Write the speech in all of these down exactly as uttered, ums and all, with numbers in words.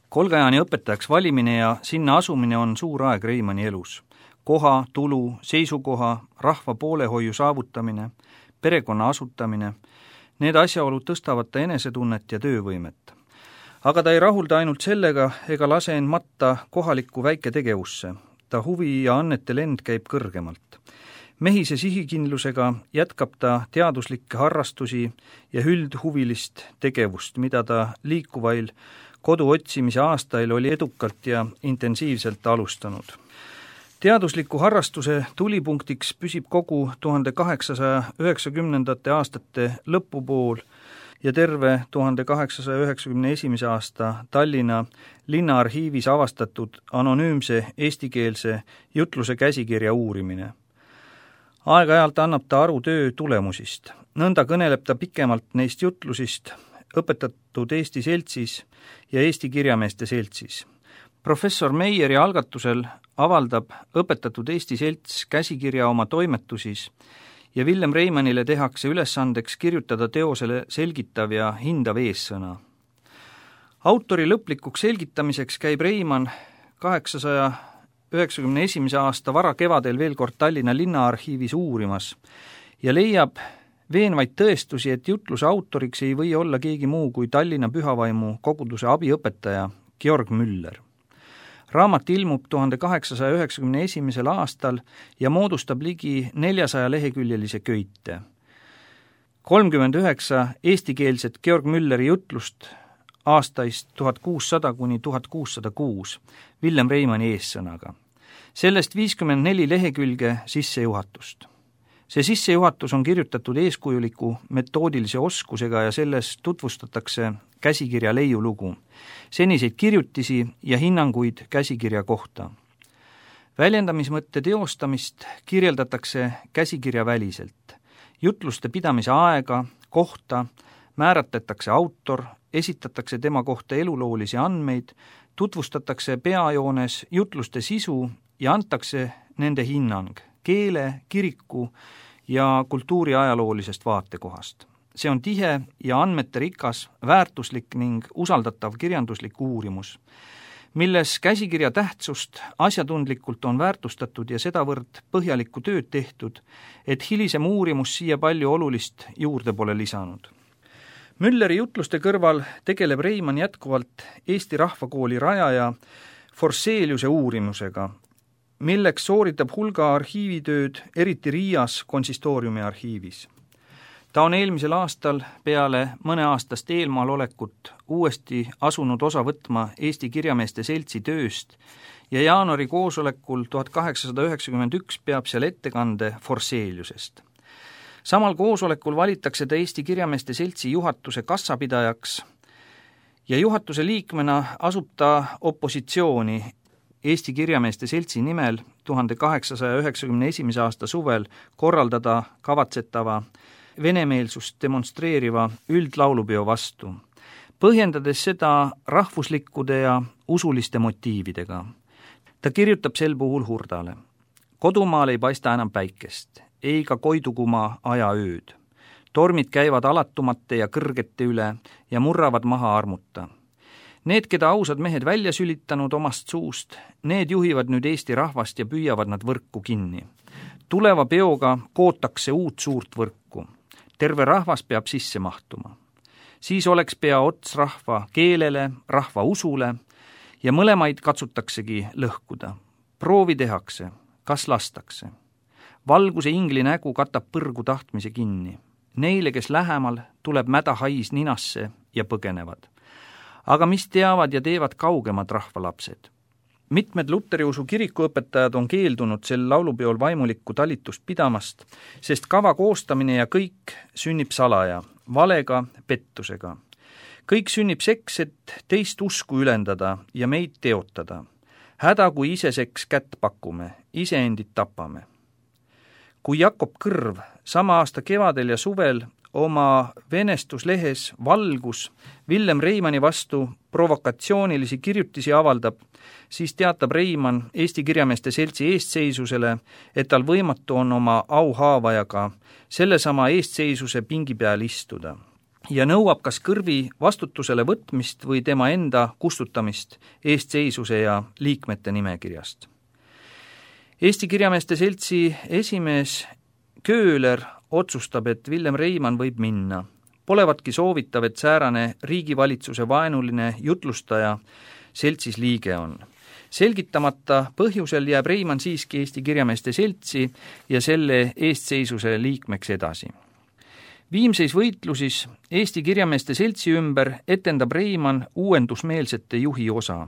Kolgajani õpetajaks valimine ja sinna asumine on suur aeg Reimanni elus. Koha, tulu, seisukoha, rahva poolehoiu saavutamine, perekonna asutamine, need asjaolud tõstavad ta enesetunnet ja töövõimet. Aga ta ei rahulda ainult sellega ega lase end matta kohalikku väiketegevusse. Ta huvi ja annete lend käib kõrgemalt. Mehise sihikindlusega jätkab ta teaduslikke harrastusi ja üldhuvilist tegevust, mida ta liikuvail kodu otsimise aastail oli edukalt ja intensiivselt alustanud. Teadusliku harrastuse tulipunktiks püsib kogu tuhande kaheksasaja üheksakümnendate aastate lõpupool ja terve tuhande kaheksasaja üheksakümne esimese aasta Tallinna linnaarhiivis avastatud anonüümse eestikeelse jutluse käsikirja uurimine. Aeg-ajalt annab ta aru töö tulemusist. Nõnda kõneleb ta pikemalt neist jutlusist õpetatud Eesti seltsis ja Eesti kirjameeste seltsis. Professor Meieri algatusel avaldab õpetatud Eesti selts käsikirja oma toimetusis ja Villem Reimannile tehakse ülesandeks kirjutada teosele selgitav ja hindav eessõna. Autori lõplikuks selgitamiseks käib Reimann kaheksasaja üheksakümne esimese aasta vara kevadel veel kord Tallinna linnaarhiivis uurimas ja leiab veenvaid tõestusi, et jutluse autoriks ei või olla keegi muu kui Tallinna Pühavaimu koguduse abiõpetaja Georg Müller. Raamat ilmub tuhande kaheksasaja üheksakümne esimesel aastal ja moodustab ligi neljasaja leheküljelise köite. kolmkümmend üheksa eestikeelset Georg Mülleri jutlust aastaist tuhat kuussada kuni tuhat kuussada kuus Villem Reimanni eessõnaga. Sellest viiskümmend neli lehekülge sissejuhatust. See sissejuhatus on kirjutatud eeskujuliku metoodilise oskusega ja selles tutvustatakse käsikirja leiulugu, seniseid kirjutisi ja hinnanguid käsikirja kohta. Väljendamismõtte teostamist kirjeldatakse käsikirja väliselt. Jutluste pidamise aega, kohta, määratletakse autor, esitatakse tema kohta eluloolisi andmeid, tutvustatakse peajoones jutluste sisu ja antakse nende hinnang keele, kiriku ja kultuuri ajaloolisest vaatekohast. See on tihe ja andmete rikas, väärtuslik ning usaldatav kirjanduslik uurimus, milles käsikirja tähtsust asjatundlikult on väärtustatud ja sedavõrd põhjalikku tööd tehtud, et hilisem uurimus siia palju olulist juurde pole lisanud. Mülleri jutluste kõrval tegeleb Reimann jätkuvalt Eesti Rahvakooli rajaja Forseliuse uurimusega, milleks sooritab hulga arhiivitööd, eriti Riias konsistooriumi arhiivis. Ta on eelmisel aastal peale mõneaastast eelmaal olekut uuesti asunud osa võtma Eesti Kirjameeste Seltsi tööst ja jaanuari koosolekul tuhat kaheksasada üheksakümmend üks peab seal ettekande Forseliusest. Samal koosolekul valitakse ta Eesti Kirjameeste Seltsi juhatuse kassapidajaks ja juhatuse liikmena asub ta opositsiooni Eesti Kirjameeste Seltsi nimel tuhande kaheksasaja üheksakümne esimese aasta suvel korraldada kavatsetava venemeelsust demonstreeriva üldlaulupeo vastu, põhjendades seda rahvuslikkude ja usuliste motiividega. Ta kirjutab sel puhul Hurdale. Kodumaal ei paista enam päikest, ei ka Koidukumaa aja ööd. Tormid käivad alatumate ja kõrgete üle ja murravad maha armuta. Need, keda ausad mehed välja sülitanud omast suust, need juhivad nüüd Eesti rahvast ja püüavad nad võrku kinni. Tuleva peoga kootakse uut suurt võrku. Terve rahvas peab sisse mahtuma. Siis oleks pea ots rahva keelele, rahva usule ja mõlemaid katsutaksegi lõhkuda. Proovi tehakse, kas lastakse. Valguse ingli nägu katab põrgu tahtmise kinni. Neile, kes lähemal, tuleb mäda hais ninasse ja põgenevad. Aga mis teavad ja teevad kaugemad rahvalapsed? Mitmed Luteriusu kirikuõpetajad on keeldunud sel laulupeol vaimulikku talitust pidamast, sest kava koostamine ja kõik sünnib salaja, valega, pettusega. Kõik sünnib seks, et teist usku ülendada ja meid teotada. Häda, kui ise seks kätt pakume, iseendid tapame. Kui Jakob Kõrv sama aasta kevadel ja suvel oma venestuslehes Valgus Villem Reimanni vastu provokatsioonilisi kirjutisi avaldab, siis teatab Reimann Eesti Kirjameeste Seltsi eestseisusele, et tal võimatu on oma auhaavajaga sellesama eestseisuse pingi peal istuda. ja nõuab kas kõrvi vastutusele võtmist või tema enda kustutamist eestseisuse ja liikmete nimekirjast. Eesti Kirjameeste Seltsi esimees Kööler otsustab, et Villem Reimann võib minna. Polevatki soovitav, et säärane riigivalitsuse vaenuline jutlustaja seltsis liige on. Selgitamata põhjusel jääb Reimann siiski Eesti Kirjameeste Seltsi ja selle eestseisuse liikmeks edasi. Viimseis võitlusis Eesti Kirjameeste Seltsi ümber etendab Reimann uuendusmeelsete juhi osa,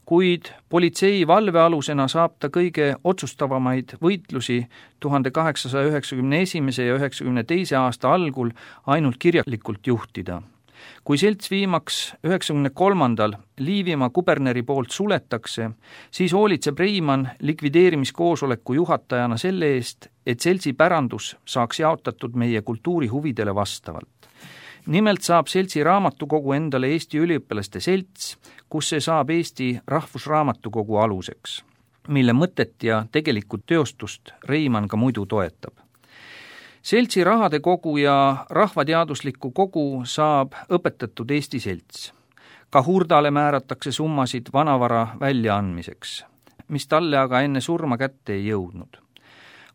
kuid politsei valvealusena saab ta kõige otsustavamaid võitlusi tuhande kaheksasaja üheksakümne esimese ja üheksakümne teise aasta algul ainult kirjalikult juhtida. Kui selts viimaks üheksakümne kolmandal Liivimaa kuberneri poolt suletakse, siis hoolitseb Reimann likvideerimiskoosoleku juhatajana selle eest, et seltsi pärandus saaks jaotatud meie kultuurihuvidele vastavalt. Nimelt saab seltsi raamatukogu endale Eesti üliõpilaste selts, kus see saab Eesti Rahvusraamatukogu aluseks, mille mõtet ja tegelikult teostust Reimann ka muidu toetab. Seltsi rahade kogu ja rahvateadusliku kogu saab õpetatud Eesti selts. Ka Hurdale määratakse summasid vanavara väljaandmiseks, mis talle aga enne surma kätte ei jõudnud.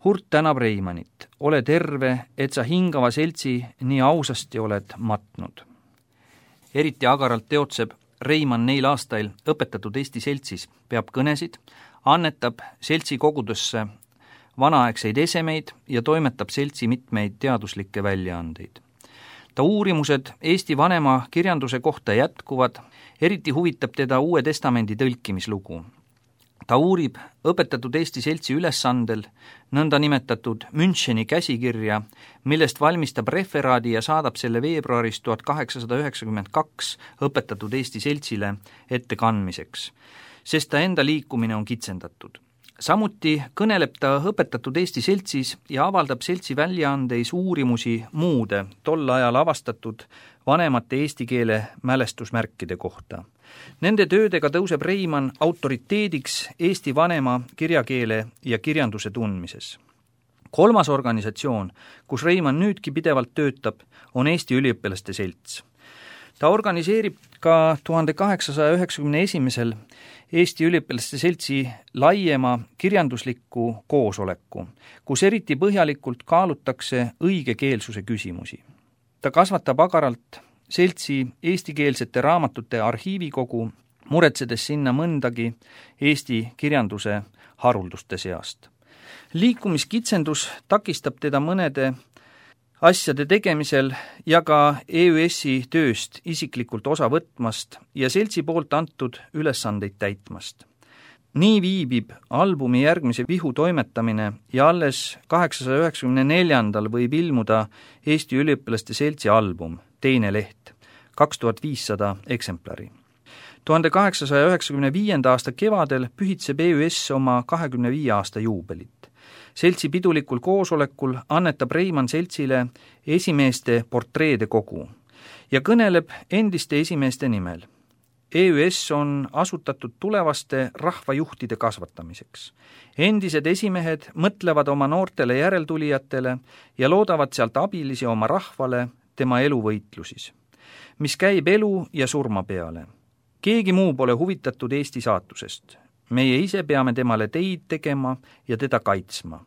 Hurt tänab Reimannit, ole terve, et sa hingava seltsi nii ausasti oled matnud. Eriti agaralt teotseb Reimann neil aastail õpetatud Eesti seltsis, peab kõnesid, annetab seltsi kogudesse vanaaegseid esemeid ja toimetab seltsi mitmeid teaduslikke väljaandeid. Ta uurimused Eesti vanema kirjanduse kohta jätkuvad, eriti huvitab teda Uue Testamendi tõlkimislugu. Ta uurib õpetatud Eesti seltsi ülesandel nõnda nimetatud Müncheni käsikirja, millest valmistab referaadi ja saadab selle veebruaris tuhat kaheksasada üheksakümmend kaks õpetatud Eesti seltsile ettekandmiseks, sest ta enda liikumine on kitsendatud. Samuti kõneleb ta õpetatud Eesti seltsis ja avaldab seltsi väljaandeis uurimusi muude tol ajal avastatud vanemate eesti keele mälestusmärkide kohta. Nende töödega tõuseb Reimann autoriteediks Eesti vanema kirjakeele ja kirjanduse tundmises. Kolmas organisatsioon, kus Reimann nüüdki pidevalt töötab, on Eesti üliõpilaste selts. Ta organiseerib ka tuhande kaheksasaja üheksakümne esimesel Eesti üliõpilaste seltsi laiema kirjandusliku koosoleku, kus eriti põhjalikult kaalutakse õigekeelsuse küsimusi. Ta kasvatab agaralt seltsi eestikeelsete raamatute arhiivikogu, muretsedes sinna mõndagi Eesti kirjanduse harulduste seast. Liikumiskitsendus takistab teda mõnede asjade tegemisel ja ka E Ü S-i tööst isiklikult osa võtmast ja seltsi poolt antud ülesandeid täitmast. Nii viibib albumi järgmise vihu toimetamine ja alles kaheksasaja üheksakümne neljandal võib ilmuda Eesti üliõpilaste seltsi album, teine leht, kaks tuhat viissada eksemplari. tuhande kaheksasaja üheksakümne viienda aasta kevadel pühitseb E Ü S oma kahekümne viie aasta juubelit. Seltsi pidulikul koosolekul annetab Reimann seltsile esimeeste portreede kogu ja kõneleb endiste esimeeste nimel. E Ü S on asutatud tulevaste rahvajuhtide kasvatamiseks. Endised esimehed mõtlevad oma noortele järeltulijatele ja loodavad sealt abilisi oma rahvale tema eluvõitlusis, mis käib elu ja surma peale. Keegi muu pole huvitatud Eesti saatusest. Meie ise peame temale teid tegema ja teda kaitsma.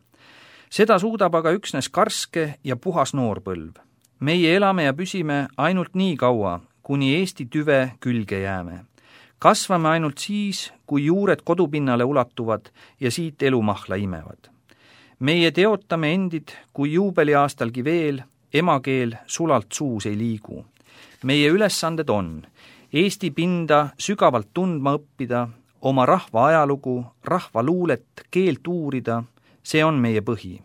Seda suudab aga üksnes karske ja puhas noorpõlv. Meie elame ja püsime ainult nii kaua, kuni Eesti tüve külge jääme. Kasvame ainult siis, kui juured kodupinnale ulatuvad ja siit elumahla imevad. Meie teotame endid, kui juubeliaastalgi veel, emakeel sulalt suus ei liigu. Meie ülesanded on Eesti pinda sügavalt tundma õppida, oma rahva ajalugu, rahva luulet, keelt uurida, see on meie põhi.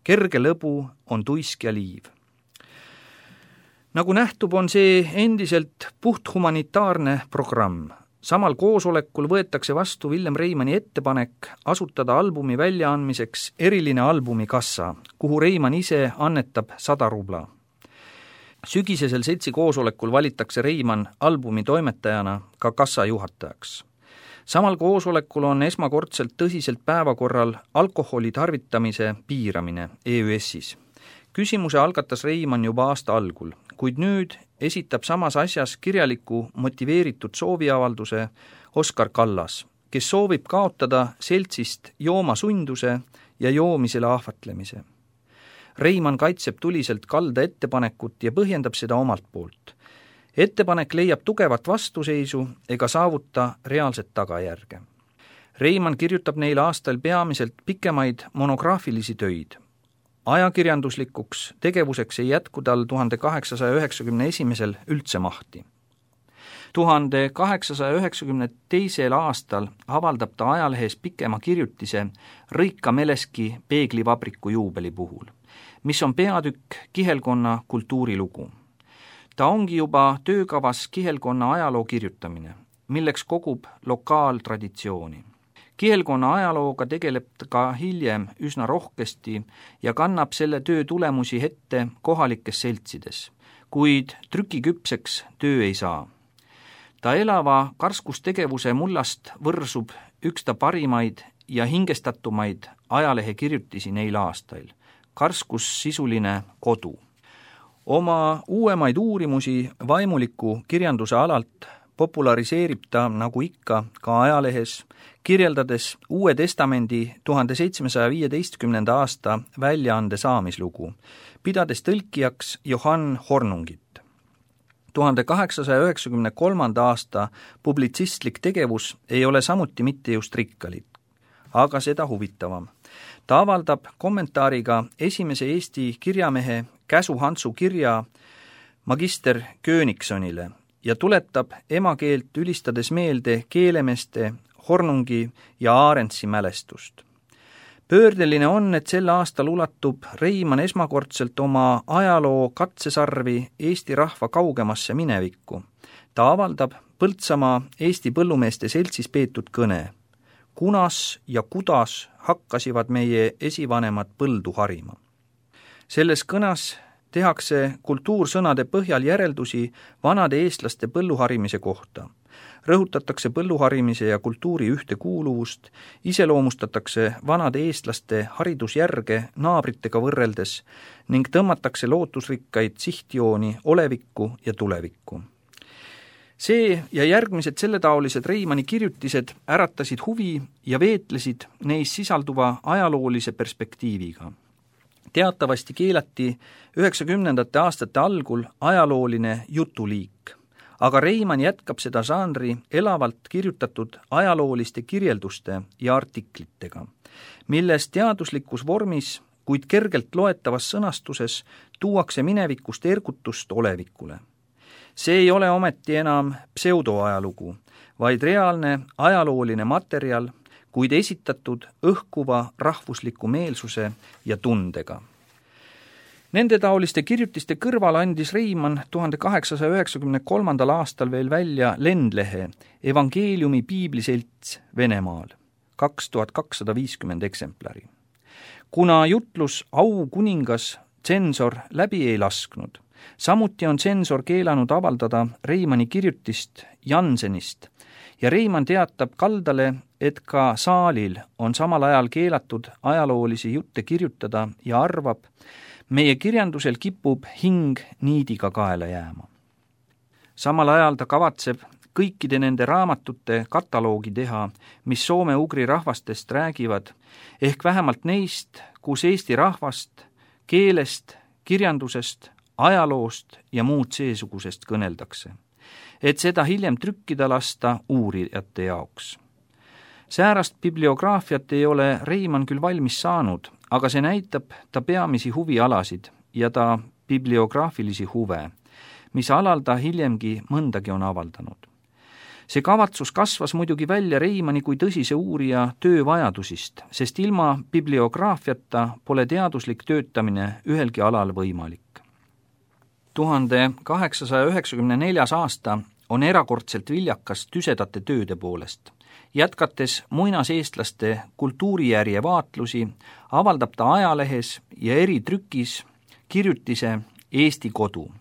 Kerge lõbu on tuisk ja liiv. Nagu nähtub, on see endiselt puht humanitaarne programm. Samal koosolekul võetakse vastu Villem Reimanni ettepanek asutada albumi väljaandmiseks eriline albumikassa, kuhu Reimann ise annetab sada rubla. Sügisesel seltsi koosolekul valitakse Reimann albumi toimetajana ka kassa juhatajaks. Samal koosolekul on esmakordselt tõsiselt päevakorral alkoholi tarvitamise piiramine E Ü S-is. Küsimuse algatas Reimann juba aasta algul, kuid nüüd esitab samas asjas kirjaliku motiveeritud sooviavalduse Oskar Kallas, kes soovib kaotada seltsist joomasunduse ja joomisele ahvatlemise. Reimann kaitseb tuliselt Kalda ettepanekut ja põhjendab seda omalt poolt. Ettepanek leiab tugevat vastuseisu ega saavuta reaalset tagajärge. Reimann kirjutab neil aastal peamiselt pikemaid monograafilisi töid. Ajakirjanduslikuks tegevuseks ei jätku tal tuhande kaheksasaja üheksakümne esimesel üldse mahti. tuhande kaheksasaja üheksakümne teisel aastal avaldab ta ajalehes pikema kirjutise Rõika Meleski peeglivabriku juubeli puhul, mis on peatükk kihelkonna kultuurilugu. Ta ongi juba töökavas kihelkonna ajaloo kirjutamine, milleks kogub lokaaltraditsiooni. Kihelkonna ajalooga tegeleb ka hiljem üsna rohkesti ja kannab selle töö tulemusi ette kohalikes seltsides, kuid trükiküpseks töö ei saa. Ta elava karskustegevuse mullast võrsub üks ta parimaid ja hingestatumaid ajalehe kirjutisi neil aastail, karskus sisuline kodu. Oma uuemaid uurimusi vaimuliku kirjanduse alalt populariseerib ta nagu ikka ka ajalehes, kirjeldades Uue Testamendi tuhande seitsmesaja viieteistkümnenda aasta väljaande saamislugu, pidades tõlkijaks Johann Hornungit. tuhande kaheksasaja üheksakümne kolmanda aasta publitsistlik tegevus ei ole samuti mitte just rikkalik, aga seda huvitavam. Ta avaldab kommentaariga esimese Eesti kirjamehe Käsu Hantsu kirja magister Königsonile ja tuletab emakeelt ülistades meelde keelemeeste Hornungi ja Arendtsi mälestust. Pöördeline on, et sel aastal ulatub Reimann esmakordselt oma ajaloo katsesarvi Eesti rahva kaugemasse minevikku. Ta avaldab Põltsamaa Eesti põllumeeste seltsis peetud kõne. Kunas ja kudas hakkasivad meie esivanemad põldu harima. Selles kõnas tehakse kultuursõnade põhjal järeldusi vanade eestlaste põlluharimise kohta. Rõhutatakse põlluharimise ja kultuuri ühtekuuluvust, iseloomustatakse vanade eestlaste haridusjärge naabritega võrreldes ning tõmmatakse lootusrikkaid sihtjooni olevikku ja tulevikku. See ja järgmised selletaolised Reimanni kirjutised äratasid huvi ja veetlesid neis sisalduva ajaloolise perspektiiviga. Teatavasti keelati üheksakümnendate aastate algul ajalooline jutuliik, aga Reimann jätkab seda žanri elavalt kirjutatud ajalooliste kirjelduste ja artiklitega, milles teaduslikus vormis, kuid kergelt loetavas sõnastuses tuuakse minevikust ergutust olevikule. See ei ole ometi enam pseudoajalugu, vaid reaalne ajalooline materjal, kuid esitatud õhkuva rahvusliku meelsuse ja tundega. Nende taoliste kirjutiste kõrval andis Reimann tuhande kaheksasaja üheksakümne kolmandal aastal veel välja lendlehe Evangeeliumi piibliselts Venemaal, kaks tuhat kakssada viiskümmend eksemplari. Kuna jutlus Au kuningas tsensor läbi ei lasknud, samuti on tsensor keelanud avaldada Reimanni kirjutist Jansenist ja Reimann teatab Kaldale, et ka saalil on samal ajal keelatud ajaloolisi jutte kirjutada ja arvab, meie kirjandusel kipub hing niidiga kaela jääma. Samal ajal ta kavatseb kõikide nende raamatute kataloogi teha, mis soome-ugri rahvastest räägivad, ehk vähemalt neist, kus Eesti rahvast, keelest, kirjandusest, ajaloost ja muud seesugusest kõneldakse, et seda hiljem trükkida lasta uurijate jaoks. Säärast bibliograafiat ei ole Reimann küll valmis saanud, aga see näitab ta peamisi huvialasid ja ta bibliograafilisi huve, mis alal ta hiljemgi mõndagi on avaldanud. See kavatsus kasvas muidugi välja Reimanni kui tõsise uurija töövajadusist, sest ilma bibliograafiata pole teaduslik töötamine ühelgi alal võimalik. tuhande kaheksasaja üheksakümne neljas aasta on erakordselt viljakas tüsedate tööde poolest. Jätkates muinaseestlaste kultuurijärje vaatlusi, avaldab ta ajalehes ja eritrükis kirjutise Eesti kodu,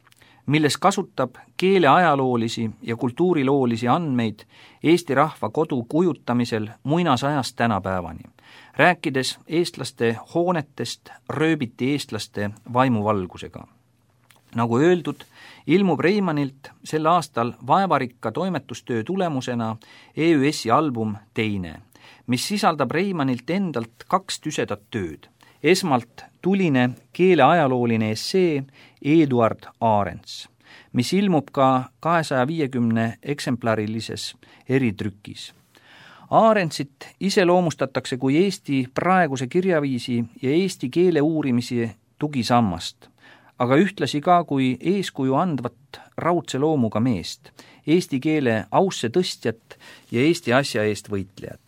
milles kasutab keeleajaloolisi ja kultuuriloolisi andmeid Eesti rahva kodu kujutamisel muinasajast tänapäevani, rääkides eestlaste hoonetest rööbiti eestlaste vaimuvalgusega. Nagu öeldud, ilmub Reimannilt sel aastal vaevarikka toimetustöö tulemusena E Ü S-i album Teine, mis sisaldab Reimannilt endalt kaks tüsedat tööd. Esmalt tuline keeleajalooline essee Eduard Arents, mis ilmub ka kahesaja viiekümne eksemplärilises eritrükis. Arentsit iseloomustatakse kui Eesti praeguse kirjaviisi ja eesti keele uurimise tugisammast, aga ühtlasi ka kui eeskuju andvat raudse loomuga meest, eesti keele ausse tõstjat ja Eesti asja eest võitlejat.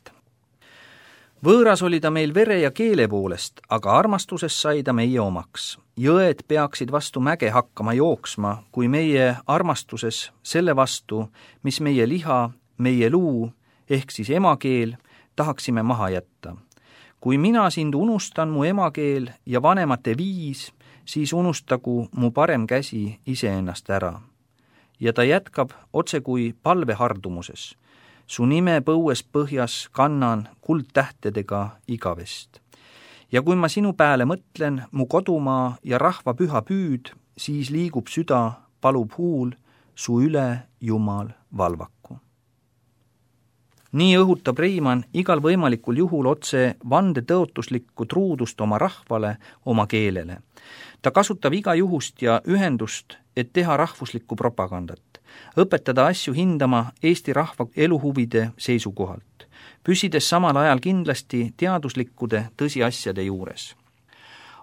Võõras oli ta meil vere ja keele poolest, aga armastuses sai ta meie omaks. Jõed peaksid vastu mäge hakkama jooksma, kui meie armastuses selle vastu, mis meie liha, meie luu, ehk siis emakeel, tahaksime maha jätta. Kui mina sind unustan mu emakeel ja vanemate viis, siis unustagu mu parem käsi iseennast ära. Ja ta jätkab otse kui palvehardumuses. Su nime põues põhjas kannan kuldtähtedega igavest. Ja kui ma sinu pääle mõtlen, mu kodumaa ja rahva püha püüd, siis liigub süda, palub huul, su üle Jumal valvaku. Nii õhutab Reimann igal võimalikul juhul otse vandetõotuslikku truudust oma rahvale, oma keelele. Ta kasutab iga juhust ja ühendust, et teha rahvuslikku propagandat, õpetada asju hindama Eesti rahva eluhuvide seisukohalt, püsides samal ajal kindlasti teaduslikkude tõsiasjade juures.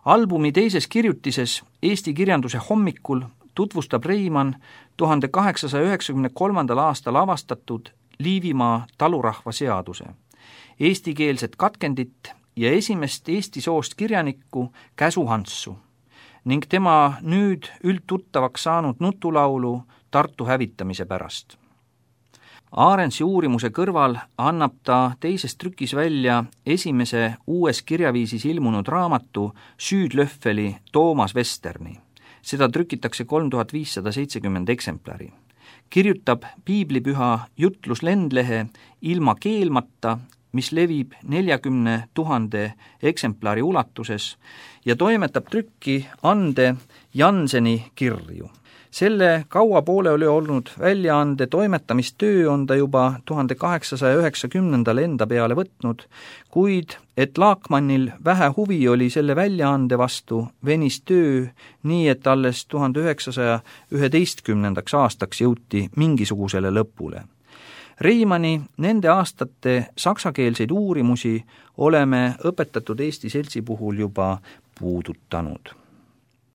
Albumi teises kirjutises Eesti kirjanduse hommikul tutvustab Reimann tuhande kaheksasaja üheksakümne kolmandal aastal avastatud Liivimaa talurahva seaduse, eestikeelset katkendit ja esimest Eesti soost kirjanikku Käsu Hanssu ning tema nüüd üldtuttavaks saanud nutulaulu Tartu hävitamise pärast. Arentsi uurimuse kõrval annab ta teises trükis välja esimese uues kirjaviisis ilmunud raamatu Süüdlöffeli Toomas Vesterni. Seda trükitakse kolm tuhat viissada seitsekümmend eksemplari. Kirjutab piiblipüha jutluslendlehe Ilma keelmata, mis levib neljakümne tuhande eksemplari ulatuses ja toimetab trükki Ande Janseni kirju. Selle kaua pooleli olnud väljaande toimetamistöö on ta juba tuhande kaheksasaja üheksakümnendal enda peale võtnud, kuid et Laakmannil vähe huvi oli selle väljaande vastu, venis töö nii, et alles tuhande üheksasaja üheteistkümnendaks aastaks jõuti mingisugusele lõpule. Reimanni nende aastate saksakeelseid uurimusi oleme õpetatud Eesti seltsi puhul juba puudutanud.